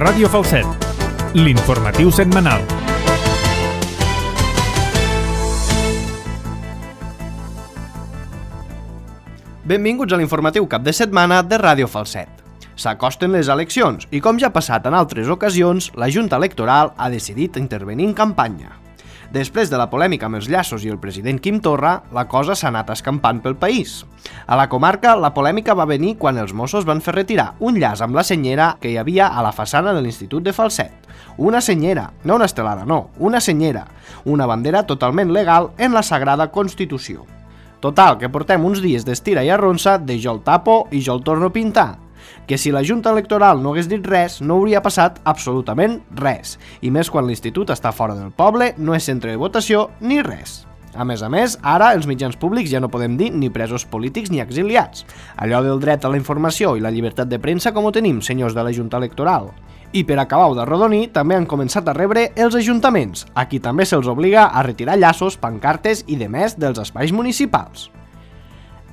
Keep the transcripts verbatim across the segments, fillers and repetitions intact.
Ràdio Falset, l'informatiu setmanal. Benvinguts a l'informatiu cap de setmana de Ràdio Falset. S'acosten les eleccions i, com ja ha passat en altres ocasions, la Junta Electoral ha decidit intervenir en campanya. Després de la polèmica amb els llaços i el president Quim Torra, la cosa s'ha anat escampant pel país. A la comarca, la polèmica va venir quan els Mossos van fer retirar un llaç amb la senyera que hi havia a la façana de l'Institut de Falset. Una senyera, no una estelada, no, una senyera, una bandera totalment legal en la Sagrada Constitució. Total, que portem uns dies d'estira i arronsa de jo el tapo i jo el torno a pintar. Que si la Junta Electoral no hagués dit res, no hauria passat absolutament res. I més quan l'institut està fora del poble, no és centre de votació ni res. A més a més, ara els mitjans públics ja no podem dir ni presos polítics ni exiliats. Allò del dret a la informació i la llibertat de premsa com ho tenim, senyors de la Junta Electoral. I per acabar-ho d'arrodonir, també han començat a rebre els ajuntaments, a qui també se'ls obliga a retirar llaços, pancartes i demés dels espais municipals.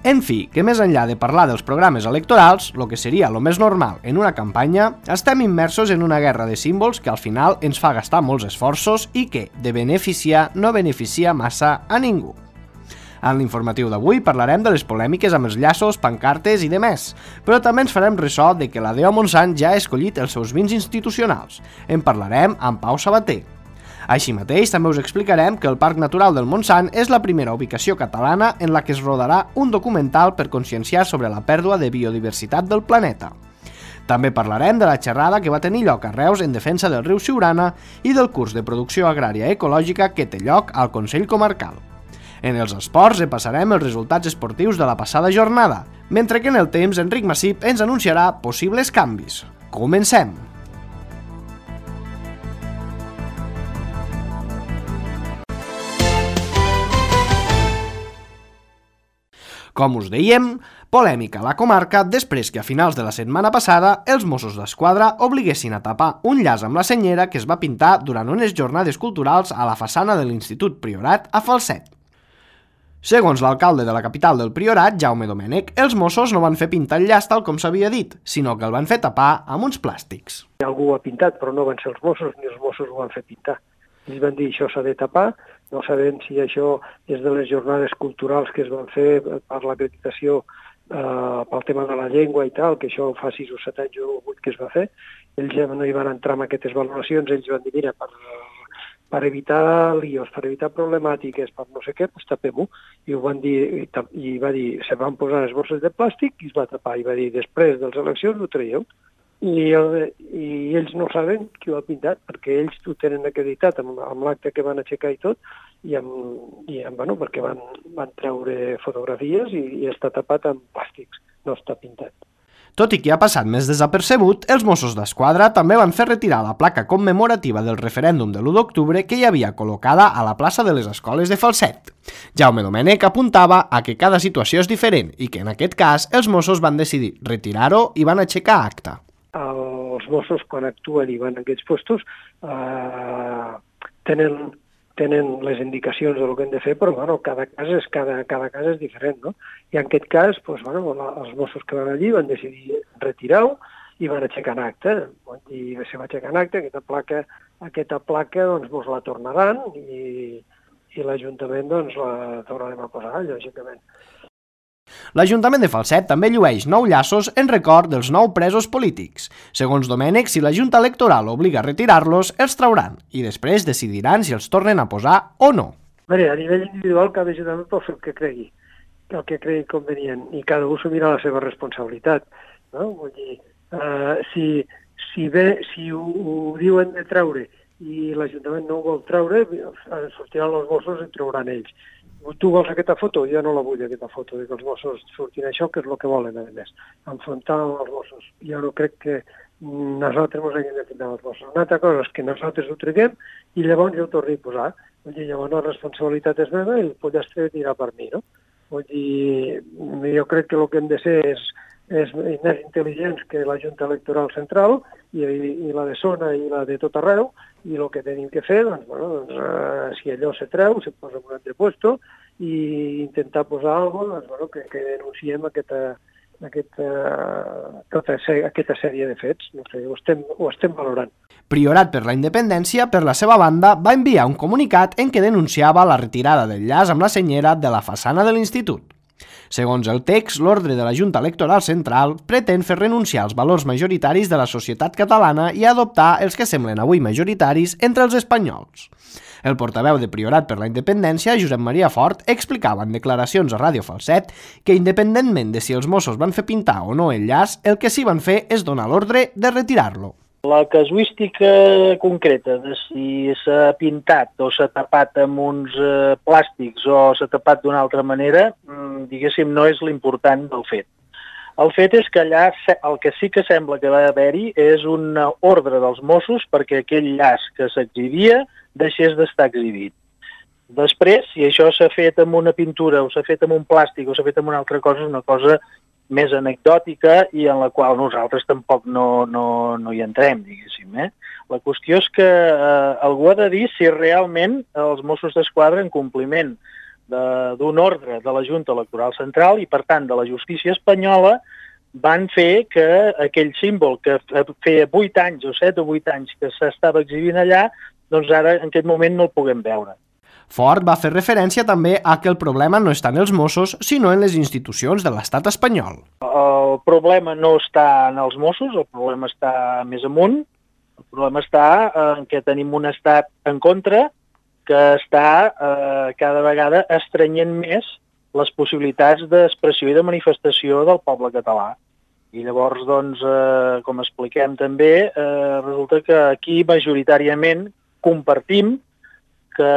En fi, que més enllà de parlar dels programes electorals, el que seria el més normal en una campanya, estem immersos en una guerra de símbols que al final ens fa gastar molts esforços i que, de beneficiar, no beneficia massa a ningú. En l'informatiu d'avui parlarem de les polèmiques amb els llaços, pancartes i demés, però també ens farem ressò de que la D O Montsant ja ha escollit els seus vins institucionals. En parlarem amb Pau Sabater. Així mateix, també us explicarem que el Parc Natural del Montsant és la primera ubicació catalana en la que es rodarà un documental per conscienciar sobre la pèrdua de biodiversitat del planeta. També parlarem de la xerrada que va tenir lloc a Reus en defensa del riu Siurana i del curs de producció agrària ecològica que té lloc al Consell Comarcal. En els esports repassarem els resultats esportius de la passada jornada, mentre que en el temps Enric Massip ens anunciarà possibles canvis. Comencem! Com us dèiem, polèmica a la comarca després que a finals de la setmana passada els Mossos d'Esquadra obliguessin a tapar un llaç amb la senyera que es va pintar durant unes jornades culturals a la façana de l'Institut Priorat a Falset. Segons l'alcalde de la capital del Priorat, Jaume Domènech, els Mossos no van fer pintar el llaç tal com s'havia dit, sinó que el van fer tapar amb uns plàstics. Algú ho ha pintat, però no van ser els Mossos, ni els Mossos ho van fer pintar. Ells van dir això s'ha de tapar, no sabem si això és de les jornades culturals que es van fer per l'acreditació eh, pel tema de la llengua i tal, que això fa sis o set anys o vuit que es va fer. Ells ja no hi van entrar en aquestes valoracions, ells van dir, mira, per, per evitar líos, per evitar problemàtiques, per no sé què, doncs tapem-ho. I ho van dir, i va dir, se van posar les bosses de plàstic i es va tapar. I va dir, després de les eleccions ho traieu. I, el, i ells no saben qui ho ha pintat, perquè ells ho tenen acreditat amb, amb l'acte que van aixecar i tot, i, amb, i amb, bueno, perquè van, van treure fotografies i, i està tapat amb plàstics, no està pintat. Tot i que ha passat més desapercebut, els Mossos d'Esquadra també van fer retirar la placa commemorativa del referèndum de l'u d'octubre que hi havia col·locada a la plaça de les Escoles de Falset. Jaume Domènech apuntava a que cada situació és diferent i que en aquest cas els Mossos van decidir retirar-ho i van aixecar acta. Els Mossos, quan actuen i van a aquests postos, eh, tenen, tenen les indicacions de lo que han de fer, però bueno, cada cas és, cada, cada cas és diferent, no? I en aquest cas, doncs, bueno, la, els Mossos que van allí van decidir retirar-ho i van aixecar en acte. I se va aixecar en acte, aquesta placa, aquesta placa doncs, mos la tornaran i, i l'Ajuntament doncs, la tornarem a posar, lògicament. L'Ajuntament de Falset també llueix nou llaços en record dels nou presos polítics. Segons Domènech, si la Junta Electoral obliga a retirar-los, els trauran i després decidiran si els tornen a posar o no. Bé, a nivell individual, cada Ajuntament pot fer el que cregui, el que cregui convenient, i cada un s'assumirà la seva responsabilitat. No? Vull dir, uh, si, si, bé, si ho, ho diuen de treure i l'Ajuntament no ho vol treure, sortiran els Mossos i trauran ells. Tu vols aquesta foto? Jo no la vull, aquesta foto, que els Mossos surtin això, que és el que volen, a més, enfrontar els Mossos. Jo no crec que nosaltres ens haguem d'enfrontar els Mossos. Una altra cosa és que nosaltres ho treguem i llavors jo ho torni a posar. Vull dir, llavors la responsabilitat és meva i el pollastre anirà per mi, no? Vull dir, jo crec que el que hem de ser és, és més intel·ligents que la Junta Electoral Central i, i la de zona i la de tot arreu, i el que tenim que fer, doncs, bueno, doncs, uh, si allò se treu, se posa en un altre puesto i intentar posar alguna cosa doncs, bueno, que, que denunciem aquesta, aquest, uh, tota aquesta sèrie de fets. No sé, ho estem, ho estem valorant. Priorat per la Independència, per la seva banda, va enviar un comunicat en què denunciava la retirada del llaç amb la senyera de la façana de l'Institut. Segons el text, l'ordre de la Junta Electoral Central pretén fer renunciar als valors majoritaris de la societat catalana i adoptar els que semblen avui majoritaris entre els espanyols. El portaveu de Priorat per la Independència, Josep Maria Fort, explicava en declaracions a Ràdio Falset que, independentment de si els Mossos van fer pintar o no el llaç, el que sí van fer és donar l'ordre de retirar-lo. La casuística concreta de si s'ha pintat o s'ha tapat amb uns eh, plàstics o s'ha tapat d'una altra manera, diguéssim, no és l'important del fet. El fet és que allà el que sí que sembla que va haver-hi és una ordre dels Mossos perquè aquell llaç que s'exhibia deixés d'estar exhibit. Després, si això s'ha fet amb una pintura o s'ha fet amb un plàstic o s'ha fet amb una altra cosa, és una cosa més anecdòtica i en la qual nosaltres tampoc no, no, no hi entrem, diguéssim. Eh? La qüestió és que eh, algú ha de dir si realment els Mossos d'Esquadra, en compliment d'un ordre de la Junta Electoral Central i, per tant, de la justícia espanyola, van fer que aquell símbol que feia vuit anys o set o vuit anys que s'estava exhibint allà, doncs ara en aquest moment no el puguem veure. Fort va fer referència també a que el problema no està en els Mossos, sinó en les institucions de l'estat espanyol. El problema no està en els Mossos, el problema està més amunt. El problema està en què tenim un estat en contra que està eh, cada vegada estrenyent més les possibilitats d'expressió i de manifestació del poble català. I llavors, doncs, eh, com expliquem també, eh, resulta que aquí majoritàriament compartim que,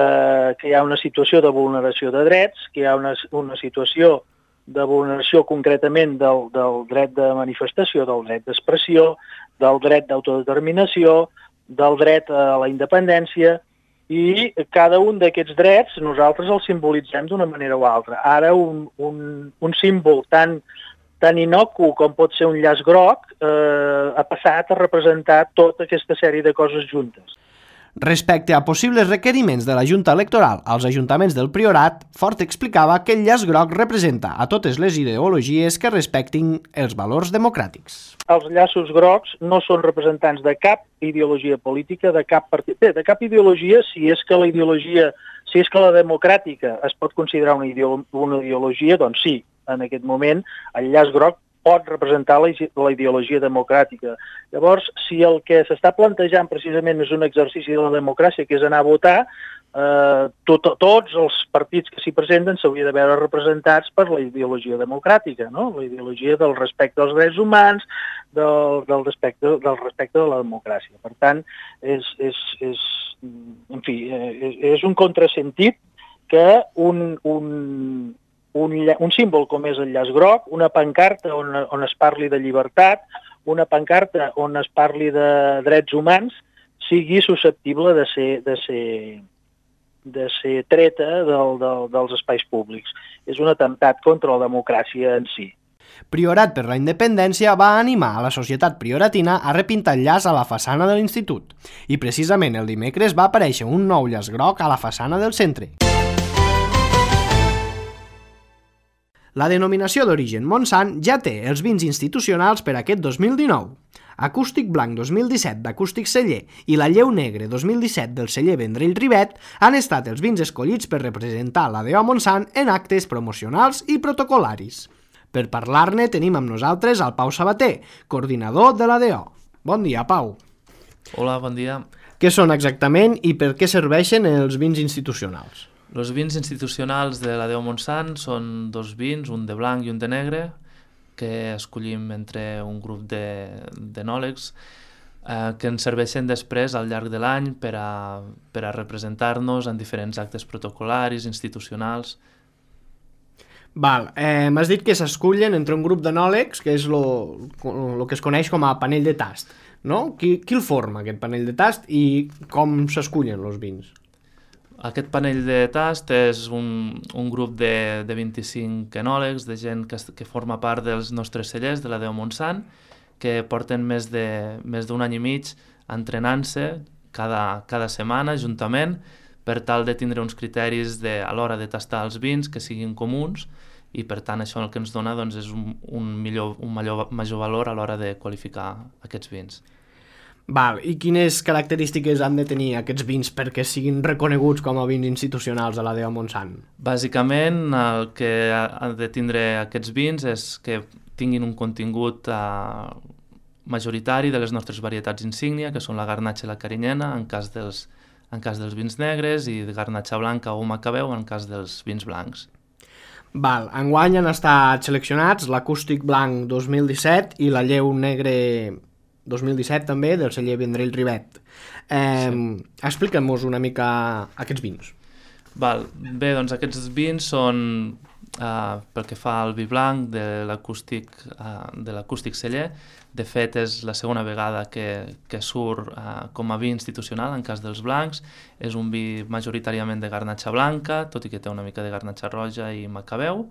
que hi ha una situació de vulneració de drets, que hi ha una, una situació de vulneració concretament del, del dret de manifestació, del dret d'expressió, del dret d'autodeterminació, del dret a la independència, i cada un d'aquests drets nosaltres els simbolitzem d'una manera o altra. Ara un, un, un símbol tan, tan inocu com pot ser un llaç groc eh, ha passat a representar tota aquesta sèrie de coses juntes. Respecte a possibles requeriments de la Junta Electoral als ajuntaments del Priorat, Fort explicava que el llaç groc representa a totes les ideologies que respectin els valors democràtics. Els llaços grocs no són representants de cap ideologia política, de cap partit, bé, de cap ideologia, si és que la ideologia, si és que la democràtica es pot considerar una, ideolo una ideologia, doncs sí, en aquest moment el llaç groc pot representar la, la ideologia democràtica. Llavors, si el que s'està plantejant precisament és un exercici de la democràcia, que és anar a votar, eh, tot, tots els partits que s'hi presenten s'haurien de veure representats per la ideologia democràtica, no? La ideologia del respecte als drets humans, del, del, respecte, del respecte de la democràcia. Per tant, és, és, és, en fi, és, és un contrasentit que un... un Un, un símbol com és el llaç groc, una pancarta on, on es parli de llibertat, una pancarta on es parli de drets humans, sigui susceptible de ser, de ser, de ser treta del, del, dels espais públics. És un atemptat contra la democràcia en si. Priorat per la Independència va animar a la societat prioratina a repintar el llaç a la façana de l'Institut. I precisament el dimecres va aparèixer un nou llaç groc a la façana del centre. La denominació d'origen Montsant ja té els vins institucionals per aquest dos mil dinou. Acústic Blanc dos mil disset d'Acústic Celler i la Lleu Negre dos mil disset del celler Vendrell Rivet han estat els vins escollits per representar la D O Montsant en actes promocionals i protocol·laris. Per parlar-ne tenim amb nosaltres el Pau Sabater, coordinador de la D O. Bon dia, Pau. Hola, bon dia. Què són exactament i per què serveixen els vins institucionals? Els vins institucionals de la D O Montsant són dos vins, un de blanc i un de negre, que escollim entre un grup d'enòlegs eh, que ens serveixen després al llarg de l'any per a, per a representar-nos en diferents actes protocol·laris, institucionals. Val, eh, m'has dit que s'escullen entre un grup d'enòlegs, que és el que es coneix com a panell de tast, no? Qui, qui el forma, aquest panell de tast, i com s'escullen els vins? Aquest panell de tast és un, un grup de, de vint-i-cinc enòlegs, de gent que, que forma part dels nostres cellers de la D O Montsant, que porten més de més d'un any i mig entrenant-se cada, cada setmana juntament per tal de tindre uns criteris de, a l'hora de tastar els vins que siguin comuns i per tant això el que ens dona doncs, és un, un, millor, un major, major valor a l'hora de qualificar aquests vins. Val, i quines característiques han de tenir aquests vins perquè siguin reconeguts com a vins institucionals de la D O Montsant? Bàsicament, el que han de tindre aquests vins és que tinguin un contingut eh, majoritari de les nostres varietats insígnia, que són la garnatxa i la carinyena, en cas dels, en cas dels vins negres, i de garnatxa blanca o macabeu en cas dels vins blancs. Val, enguany han estat seleccionats l'acústic blanc dos mil disset i la lleu negre dos mil disset també, del celler Vendrell Rivet. Eh, sí. Explica'm-nos una mica aquests vins. Val. Bé, doncs aquests vins són, eh, pel que fa al vi blanc de l'acústic eh, de l'acústic celler. De fet, és la segona vegada que, que surt eh, com a vi institucional en cas dels blancs. És un vi majoritàriament de garnatxa blanca, tot i que té una mica de garnatxa roja i macabeu.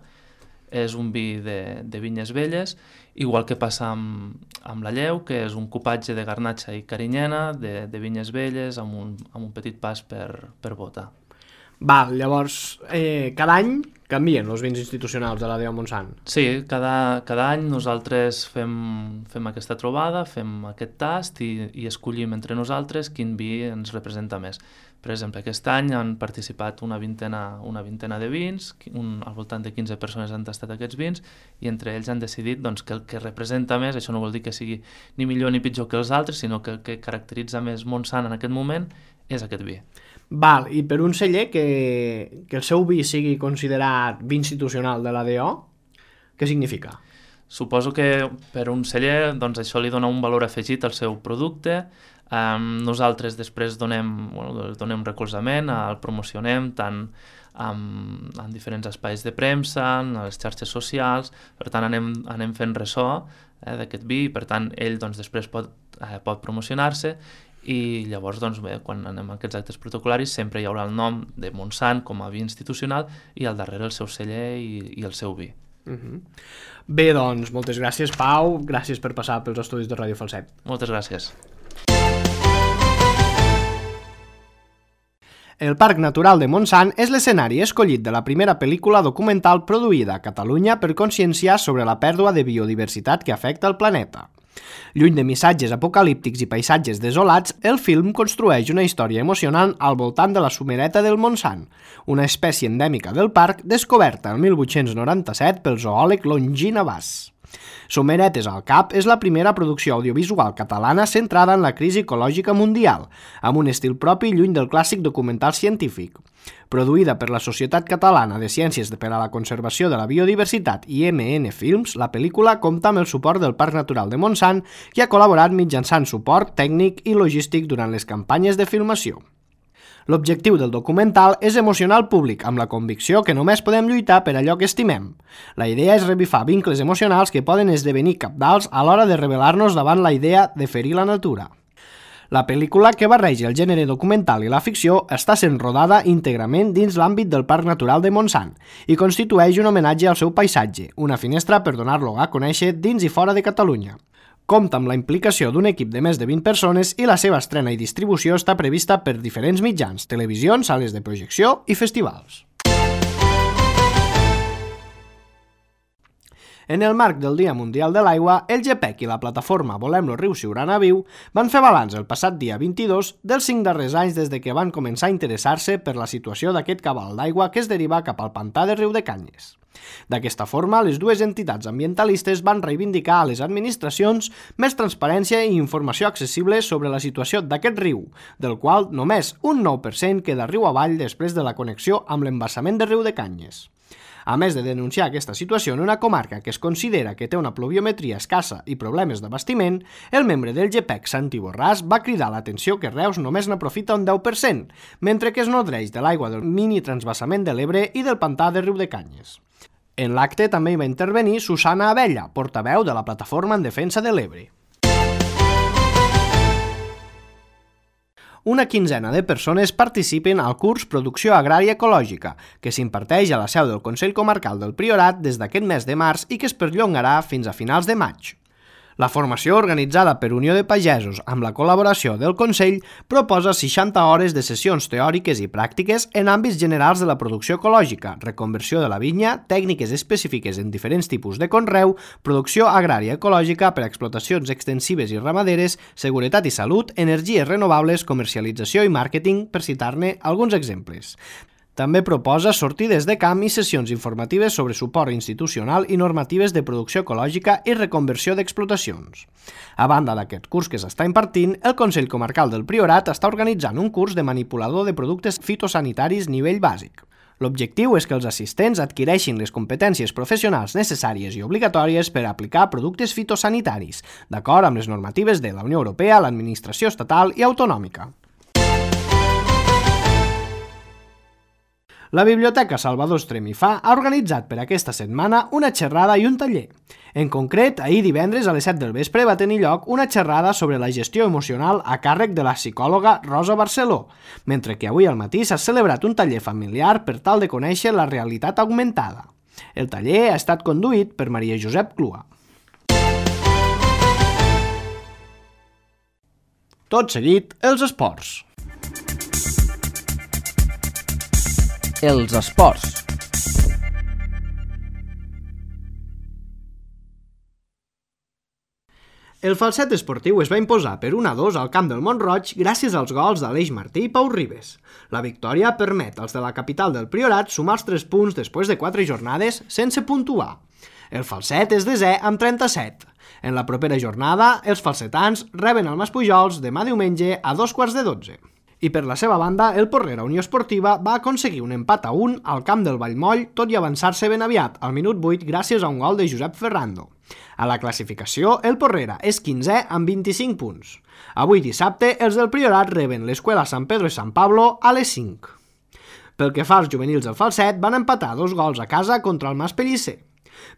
És un vi de, de vinyes velles, igual que passa amb, amb la lleu, que és un cupatge de garnatxa i carinyena, de, de vinyes velles, amb un, amb un petit pas per, per bota. Val, llavors, eh, cada any canvien els vins institucionals de la D O Montsant? Sí, cada, cada any nosaltres fem, fem aquesta trobada, fem aquest tast i, i escollim entre nosaltres quin vi ens representa més. Per exemple, aquest any han participat una vintena, una vintena de vins, un, al voltant de quinze persones han tastat aquests vins, i entre ells han decidit doncs, que el que representa més, això no vol dir que sigui ni millor ni pitjor que els altres, sinó que el que caracteritza més Montsant en aquest moment és aquest vi. Val, i per un celler que, que el seu vi sigui considerat vi institucional de la D O, què significa? Suposo que per un celler doncs, això li dona un valor afegit al seu producte. Um, nosaltres després donem, bueno, donem recolzament, el promocionem tant en, en diferents espais de premsa, en les xarxes socials, per tant anem, anem fent ressò eh, d'aquest vi, i per tant ell doncs, després pot, eh, pot promocionar-se, i llavors doncs, bé, quan anem a aquests actes protocolaris sempre hi haurà el nom de Montsant com a vi institucional i al darrere el seu celler i, i el seu vi. Uh-huh. Bé, doncs, moltes gràcies, Pau, gràcies per passar pels estudis de Ràdio Falset. Moltes gràcies. El Parc Natural de Montsant és l'escenari escollit de la primera pel·lícula documental produïda a Catalunya per conscienciar sobre la pèrdua de biodiversitat que afecta el planeta. Lluny de missatges apocalíptics i paisatges desolats, el film construeix una història emocionant al voltant de la somereta del Montsant, una espècie endèmica del parc descoberta el mil vuit-cents noranta-set pel zoòleg Longí Navàs. Someretes al cap és la primera producció audiovisual catalana centrada en la crisi ecològica mundial, amb un estil propi lluny del clàssic documental científic. Produïda per la Societat Catalana de Ciències per a la Conservació de la Biodiversitat i eme ene Films, la pel·lícula compta amb el suport del Parc Natural de Montsant, que ha col·laborat mitjançant suport tècnic i logístic durant les campanyes de filmació. L'objectiu del documental és emocionar el públic amb la convicció que només podem lluitar per allò que estimem. La idea és revifar vincles emocionals que poden esdevenir cabdals a l'hora de rebel·lar-nos davant la idea de ferir la natura. La pel·lícula, que barreja el gènere documental i la ficció, està sent rodada íntegrament dins l'àmbit del Parc Natural de Montsant i constitueix un homenatge al seu paisatge, una finestra per donar-lo a conèixer dins i fora de Catalunya. Compta amb la implicació d'un equip de més de vint persones i la seva estrena i distribució està prevista per diferents mitjans, televisions, sales de projecció i festivals. En el marc del Dia Mundial de l'Aigua, el GEPEC i la plataforma Volem-lo Riu Siurana Viu van fer balanç el passat dia vint-i-dos dels cinc darrers anys des de que van començar a interessar-se per la situació d'aquest cabal d'aigua que es deriva cap al pantà de Riu de Canyes. D'aquesta forma, les dues entitats ambientalistes van reivindicar a les administracions més transparència i informació accessible sobre la situació d'aquest riu, del qual només un nou per cent queda riu avall després de la connexió amb l'embassament de Riu de Canyes. A més de denunciar aquesta situació en una comarca que es considera que té una pluviometria escassa i problemes d'abastiment, el membre del GEPEC, Santi Borràs, va cridar l'atenció que Reus només n'aprofita un deu per cent, mentre que es nodreix de l'aigua del mini transvassament de l'Ebre i del pantà de Riu de Canyes. En l'acte també hi va intervenir Susana Abella, portaveu de la Plataforma en Defensa de l'Ebre. Una quinzena de persones participen al curs Producció Agrària Ecològica, que s'imparteix a la seu del Consell Comarcal del Priorat des d'aquest mes de març i que es perllongarà fins a finals de maig. La formació, organitzada per Unió de Pagesos amb la col·laboració del Consell, proposa seixanta hores de sessions teòriques i pràctiques en àmbits generals de la producció ecològica, reconversió de la vinya, tècniques específiques en diferents tipus de conreu, producció agrària ecològica per a explotacions extensives i ramaderes, seguretat i salut, energies renovables, comercialització i màrqueting, per citar-ne alguns exemples. També proposa sortides de camp i sessions informatives sobre suport institucional i normatives de producció ecològica i reconversió d'explotacions. A banda d'aquest curs que s'està impartint, el Consell Comarcal del Priorat està organitzant un curs de manipulador de productes fitosanitaris nivell bàsic. L'objectiu és que els assistents adquireixin les competències professionals necessàries i obligatòries per a aplicar productes fitosanitaris, d'acord amb les normatives de la Unió Europea, l'administració estatal i autonòmica. La Biblioteca Salvador Estremifà ha organitzat per aquesta setmana una xerrada i un taller. En concret, ahir divendres a les set del vespre va tenir lloc una xerrada sobre la gestió emocional a càrrec de la psicòloga Rosa Barceló, mentre que avui al matí s'ha celebrat un taller familiar per tal de conèixer la realitat augmentada. El taller ha estat conduït per Maria Josep Clua. Tot seguit, els esports. Els esports. El Falset esportiu es va imposar per un a dos al camp del Mont-roig gràcies als gols d'Aleix Martí i Pau Ribes. La victòria permet als de la capital del Priorat sumar els tres punts després de quatre jornades sense puntuar. El Falset és desè amb trenta-set. En la propera jornada, els falsetans reben el Maspujols demà diumenge a dos quarts de dotze. I per la seva banda, el Porrera Unió Esportiva va aconseguir un empat a un al camp del Vallmoll, tot i avançar-se ben aviat, al minut vuit, gràcies a un gol de Josep Ferrando. A la classificació, el Porrera és quinzè amb vint-i-cinc punts. Avui dissabte, els del Priorat reben l'Escuela San Pedro i San Pablo a les cinc. Pel que fa als juvenils del Falset, van empatar dos gols a casa contra el Mas Pellicer.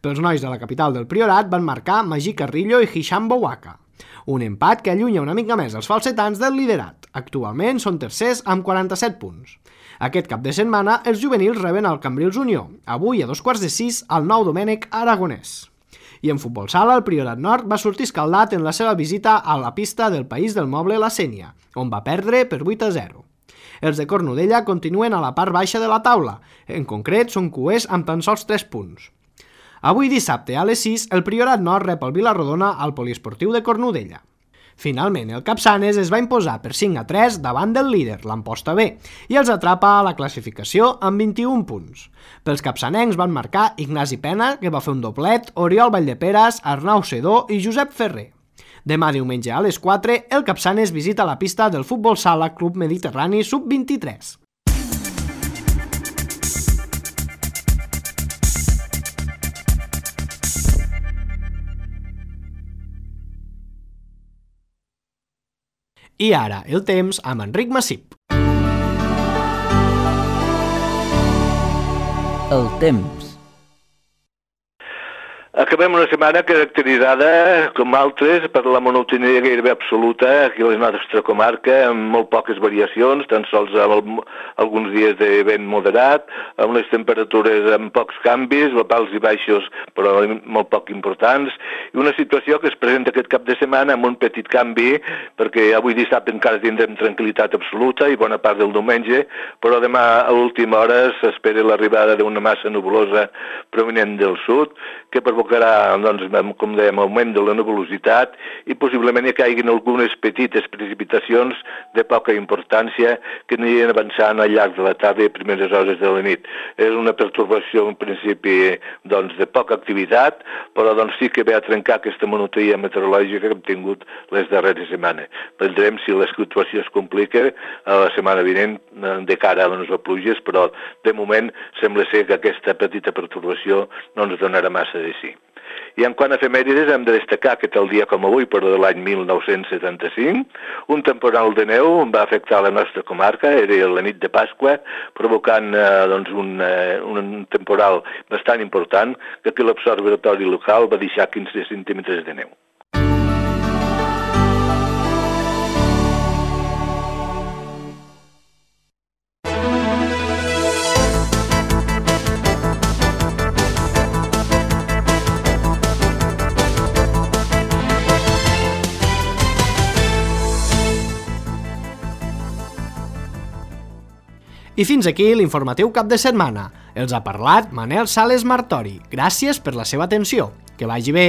Pels nois de la capital del Priorat van marcar Magí Carrillo i Hisham Bouaka. Un empat que allunya una mica més els falsetans del liderat. Actualment són tercers amb quaranta-set punts. Aquest cap de setmana, els juvenils reben el Cambrils Unió, avui a dos quarts de sis al Nou Domènec Aragonès. I en futbol sala, el Priorat Nord va sortir escaldat en la seva visita a la pista del País del Moble La Sénia, on va perdre per vuit a zero. Els de Cornudella continuen a la part baixa de la taula, en concret són cuers amb tan sols tres punts. Avui dissabte a les sis, el Priorat Nord rep el Vilarrodona al Poliesportiu de Cornudella. Finalment, el Capçanes es va imposar per cinc a tres davant del líder, l'Amposta B, i els atrapa a la classificació amb vint-i-un punts. Pels capçanencs van marcar Ignasi Pena, que va fer un doblet, Oriol Valldeperes, Arnau Sedó i Josep Ferrer. Demà diumenge a les quatre, el Capçanes visita la pista del Futbol Sala Club Mediterrani sub vint-i-tres. I ara, el temps amb Enric Massip. El temps. Acabem una setmana caracteritzada, com altres, per la monotonia gairebé absoluta aquí a la nostra comarca, amb molt poques variacions, tan sols amb alguns dies de vent moderat, amb les temperatures amb pocs canvis, alts i baixos, però molt poc importants, i una situació que es presenta aquest cap de setmana amb un petit canvi, perquè avui dissabte encara tindrem tranquil·litat absoluta i bona part del diumenge, però demà a l'última hora s'espera l'arribada d'una massa nubulosa provinent del sud, que provocarà, doncs, com dèiem, augment de la nebulositat i possiblement hi caiguin algunes petites precipitacions de poca importància que anirien avançant al llarg de la tarda i primeres hores de la nit. És una pertorbació, en principi, doncs, de poca activitat, però doncs, sí que ve a trencar aquesta monotonia meteorològica que hem tingut les darreres setmanes. Veurem si la situació es complica a la setmana vinent de cara a les pluges, però de moment sembla ser que aquesta petita pertorbació no ens donarà massa de sí. I en quant a efemèrides hem de destacar que tal dia com avui, però de l'any mil nou-cents setanta-cinc, un temporal de neu va afectar la nostra comarca, era la nit de Pasqua, provocant eh, doncs un, eh, un temporal bastant important, que aquí l'observatori local va deixar quinze centímetres de neu. I fins aquí l'informatiu cap de setmana. Els ha parlat Manel Sales Martori. Gràcies per la seva atenció. Que vagi bé!